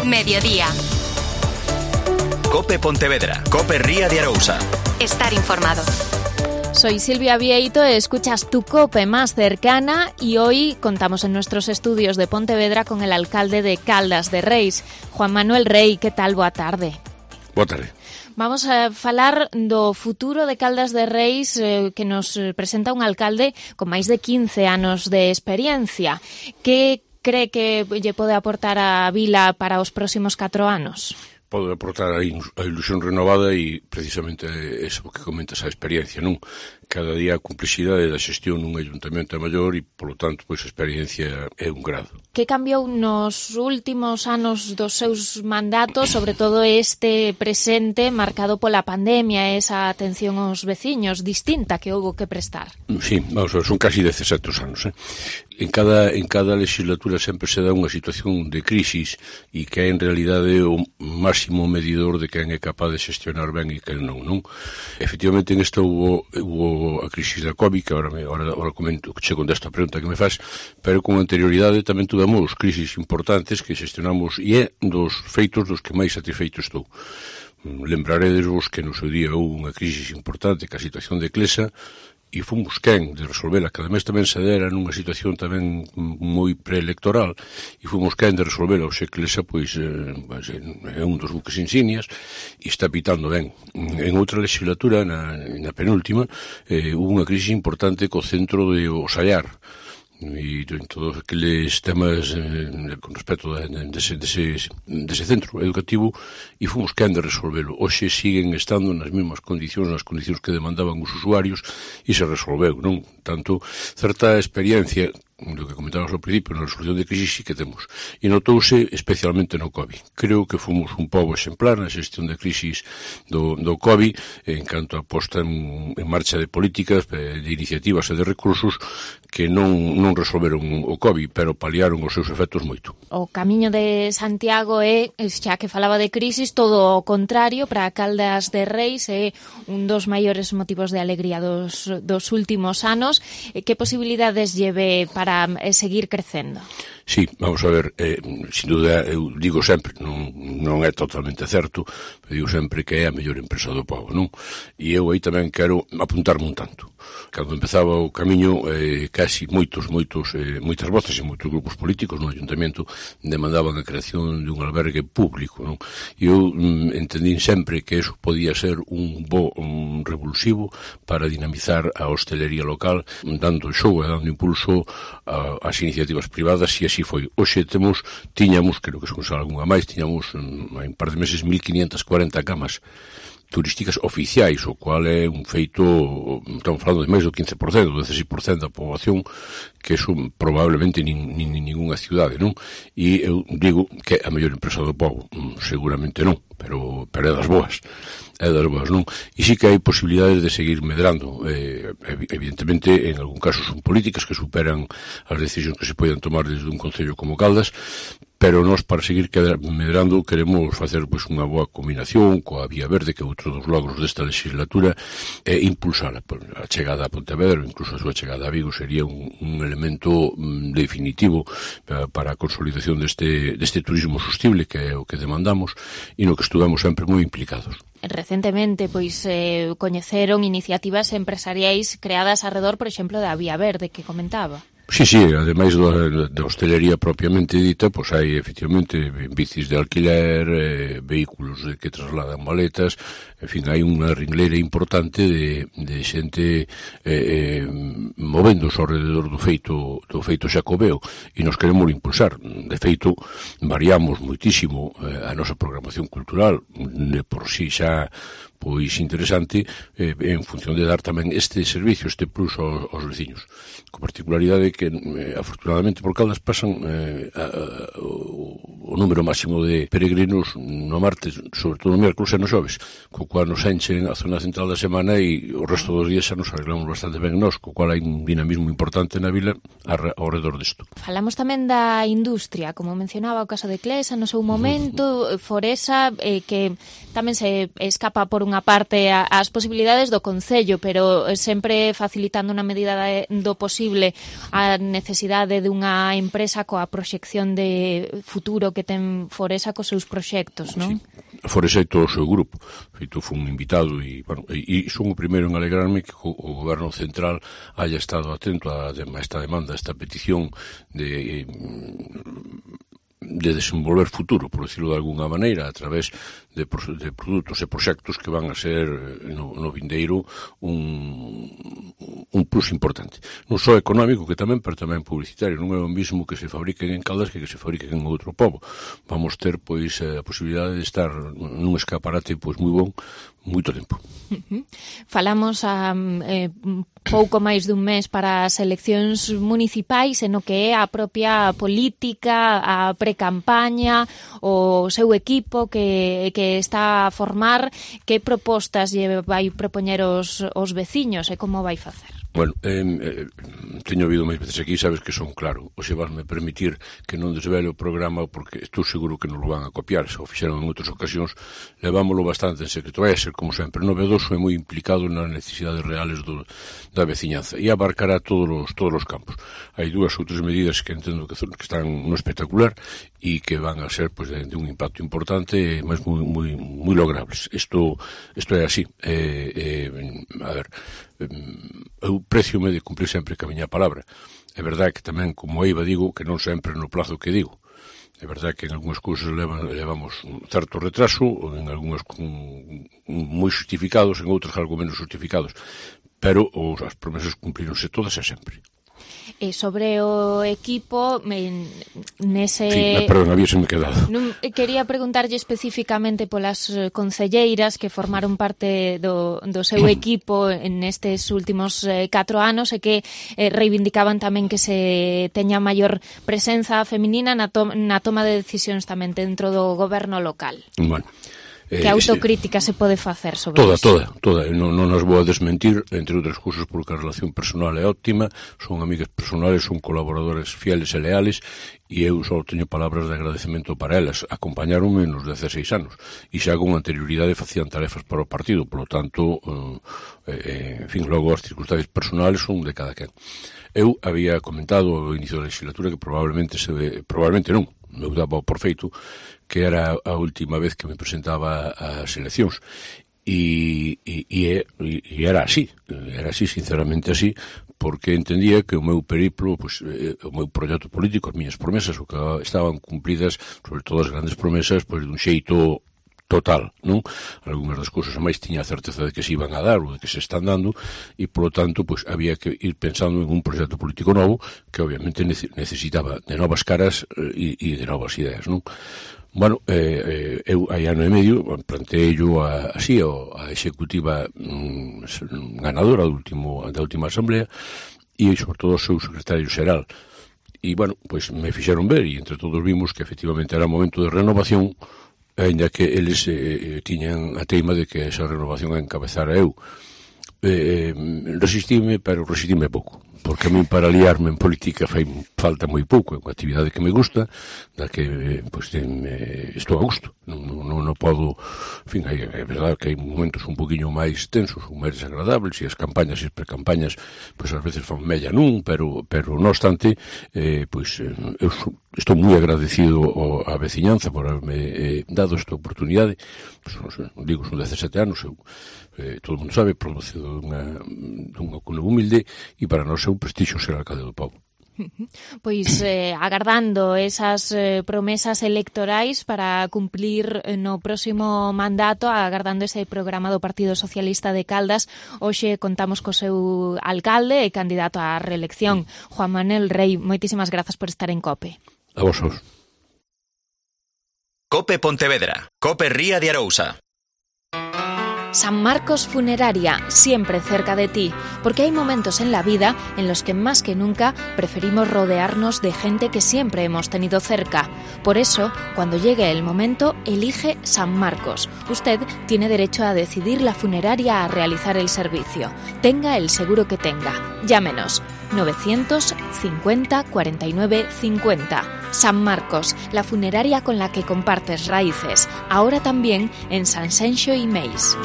Mediodía. Cope Pontevedra, Cope Ría de Arousa. Estar informado. Soy Silvia Vieito, escuchas tu Cope más cercana y hoy contamos en nuestros estudios de Pontevedra con el alcalde de Caldas de Reis, Juan Manuel Rei. Que tal? Boa tarde. Boa tarde. Vamos a falar do futuro de Caldas de Reis que nos presenta un alcalde con máis de 15 anos de experiencia. Que cree que lle pode aportar a vila para os próximos 4 anos? Pode aportar a ilusión renovada e precisamente eso que comentas, a experiencia, non? Cada día a complexidade da xestión nun ayuntamento é maior e, polo tanto, pois a experiencia é un grado. Que cambiou nos últimos anos dos seus mandatos, sobre todo este presente marcado pola pandemia, esa atención aos veciños distinta que houbo que prestar? Sí, vamos a ver, son casi 17 anos, En cada legislatura sempre se dá unha situación de crisis e que é en realidade o máximo medidor de quen é capaz de xestionar ben e quen non? Efectivamente, en esta hubo a crisis da COVID, que ahora comento, che contesto a pregunta que me faz, pero con anterioridade tamén tuvemos crisis importantes que xestionamos e é dos feitos dos que máis satisfeito estou. Lembraredesvos que no seu día houve unha crisis importante que a situación de Clesa e fomos quen de resolvela, que ademais tamén se dera nunha situación tamén moi preelectoral e fomos quen de resolvela. O xe Clesa pois é un dos buques insignias e está pitando ben. En outra legislatura, na penúltima, hubo unha crisis importante co centro de Osallar e en todos aqueles temas con respecto dese centro educativo e fomos quen de resolvelo. Hoxe siguen estando nas mesmas condicións, nas condicións que demandaban os usuarios e se resolveu, non? Tanto, certa experiencia do que comentábamos ao principio, na resolución de crisis sí que temos. E notouse especialmente no COVID. Creo que fomos un pobo exemplar na xestión de crisis do COVID en canto a posta en marcha de políticas, de iniciativas e de recursos que non resolveron o COVID, pero paliaron os seus efectos moito. O camiño de Santiago é, xa que falaba de crisis, todo o contrario. Para Caldas de Reis é un dos maiores motivos de alegría dos últimos anos. Que posibilidades lleve para seguir crecendo? Sí, vamos a ver, sin duda, eu digo sempre, non é totalmente certo, pero digo sempre que é a mellor empresa do pobo, non? E eu aí tamén quero apuntarme un tanto. Cando empezaba o camiño, casi moitas voces e moitos grupos políticos no ayuntamento demandaban a creación dun albergue público, non? E eu entendín sempre que eso podía ser un revulsivo para dinamizar a hostelería local, dando xogo e dando impulso ás iniciativas privadas, e así foi. Hoxe tiñamos, creo que son algunha máis, tiñamos en un par de meses 1540 camas turísticas oficiais, o cual é un feito, estamos falando de máis do 15%, do 16% da poboación, que eso probablemente ninguna cidade, non? E eu digo que é a mellor empresa do pobo, seguramente non, pero é das boas, non? E sí que hai posibilidades de seguir medrando, evidentemente, en algún caso son políticas que superan as decisións que se poden tomar desde un concello como Caldas, pero nós, para seguir medrando, queremos facer pois unha boa combinación coa Vía Verde, que é outro dos logros desta legislatura, e impulsar a chegada a Pontevedra, incluso a súa chegada a Vigo, sería un elemento definitivo para a consolidación deste turismo sostible, que é o que demandamos, e no que estuvemos sempre moi implicados. Recentemente, pois, coñeceron iniciativas empresariais creadas alrededor, por exemplo, da Vía Verde, que comentaba. Sí, ademais da hostelería propiamente dita, pois hai efectivamente bicis de alquiler, vehículos que trasladan maletas, en fin, hai unha ringleira importante de xente movéndose ao rededor do feito xacobeo, e nos queremos impulsar. De feito, variamos moitísimo a nosa programación cultural, de por si xa pois interesante, en función de dar tamén este servicio, este plus aos veciños. Con particularidade que, afortunadamente, por Caldas pasan o número máximo de peregrinos no martes, sobre todo no miércoles e no xoves, co cual nos enchen a zona central da semana e o resto dos días xa nos arreglamos bastante ben nós, co cual hai un dinamismo importante na vila ao redor disto. Falamos tamén da industria, como mencionaba o caso de Clesa no seu momento, Foresa, que tamén se escapa por unha parte as posibilidades do concello, pero sempre facilitando na medida do posible a necesidade dunha empresa coa proxección de futuro futuro que ten Foresa cos seus proxectos, non? Sí. Foresa e todo o seu grupo. Feito, foi un invitado e son o primeiro en alegrarme que o Goberno Central haya estado atento a esta demanda, a esta petición de desenvolver futuro, por decirlo de alguna maneira, a través de produtos e proxectos que van a ser no vindeiro un plus importante. Non só económico, que tamén, pero tamén publicitario. Non é o mismo que se fabriquen en Caldas que se fabriquen en outro pobo. Vamos ter, pois, a posibilidade de estar nun escaparate, pois, moi bon, moito tempo. Falamos a pouco máis dun mes para as eleccións municipais, e no que é a propia política, a precampaña, o seu equipo que está a formar, que propostas lle vai propoñer os veciños e como vai facer? Bueno, teño ouvido máis veces aquí, sabes que son claro. O se vasme permitir que non desvele o programa, porque estou seguro que non lo van a copiar, se o fixeron en outras ocasións, levámoslo bastante en secreto. Vai a ser, como sempre, novedoso e moi implicado nas necesidades reales da veciñanza, e abarcará todos os campos. Hai dúas ou tres medidas que entendo que están no espectacular e que van a ser, pois, de un impacto importante, mas moi logrables. Isto é así. A ver, eu preciome de cumprir sempre que a miña palabra. É verdade que tamén, como eiva, digo que non sempre no plazo que digo. É verdade que en algunhas cousas levamos un certo retraso, en algunhas moi justificados, en outras algo menos justificados, pero as promesas cumplíronse todas e sempre. E sobre o equipo, nese... Sí, perdón, habíaseme quedado. Quería preguntarlle especificamente polas concelleiras que formaron parte do seu equipo nestes últimos 4 anos e que reivindicaban tamén que se teña maior presenza feminina na toma de decisións tamén dentro do goberno local. Bueno, que autocrítica se pode facer sobre iso? Toda. Non as vou a desmentir, entre outras cousas, porque a relación personal é óptima, son amigas personales, son colaboradores fieles e leales, e eu só teño palabras de agradecemento para elas. Acompañaronme nos 16 anos, e xa con anterioridade facían tarefas para o partido, polo tanto, en fin, logo as circunstancias personales son de cada quen. Eu había comentado ao inicio da legislatura que probablemente non, eu daba por feito que era a última vez que me presentaba ás eleccións e era así, sinceramente así, porque entendía que o meu periplo, pues, o meu proxecto político, as miñas promesas, o que estaban cumplidas, sobre todo as grandes promesas, pues, dun xeito total, non? Algúnas das cousas máis tiña a certeza de que se iban a dar ou de que se están dando, e polo tanto, pues, había que ir pensando en un proxecto político novo que obviamente necesitaba de novas caras e de novas ideas, non? Bueno, eu hai ano e medio planteei-yo así a executiva ganadora da última asamblea e sobre todo o seu secretario xeral, e bueno, pues me fixeron ver e entre todos vimos que efectivamente era momento de renovación, ainda que eles tiñan a teima de que esa renovación a encabezara eu. Resistime pouco, porque a mí para liarme en política fai falta moi pouco, é unha actividade que me gusta, da que estou a gusto, non podo, en fin, é verdade que hai momentos un poquinho máis tensos, ou máis desagradables, e as campañas e as precampañas, pois ás veces fan mella pero non obstante, pois eu estou moi agradecido á veciñanza por haberme dado esta oportunidade, pois, digo, son 17 anos, eu todo o mundo sabe, producido dunha cuna humilde, e para nós é un prestixio ser alcalde do pobo. Pois agardando esas promesas electorais para cumplir no próximo mandato, agardando ese programa do Partido Socialista de Caldas, hoxe contamos co seu alcalde e candidato á reelección, Juan Manuel Rei. Moitísimas grazas por estar en COPE. A vosotros. COPE Pontevedra, COPE Ría de Arousa. San Marcos Funeraria, siempre cerca de ti, porque hay momentos en la vida en los que más que nunca preferimos rodearnos de gente que siempre hemos tenido cerca. Por eso, cuando llegue el momento, elige San Marcos. Usted tiene derecho a decidir la funeraria a realizar el servicio. Tenga el seguro que tenga. Llámenos 950 49 50. San Marcos, la funeraria con la que compartes raíces. Ahora también en Sanxenxo y Meis.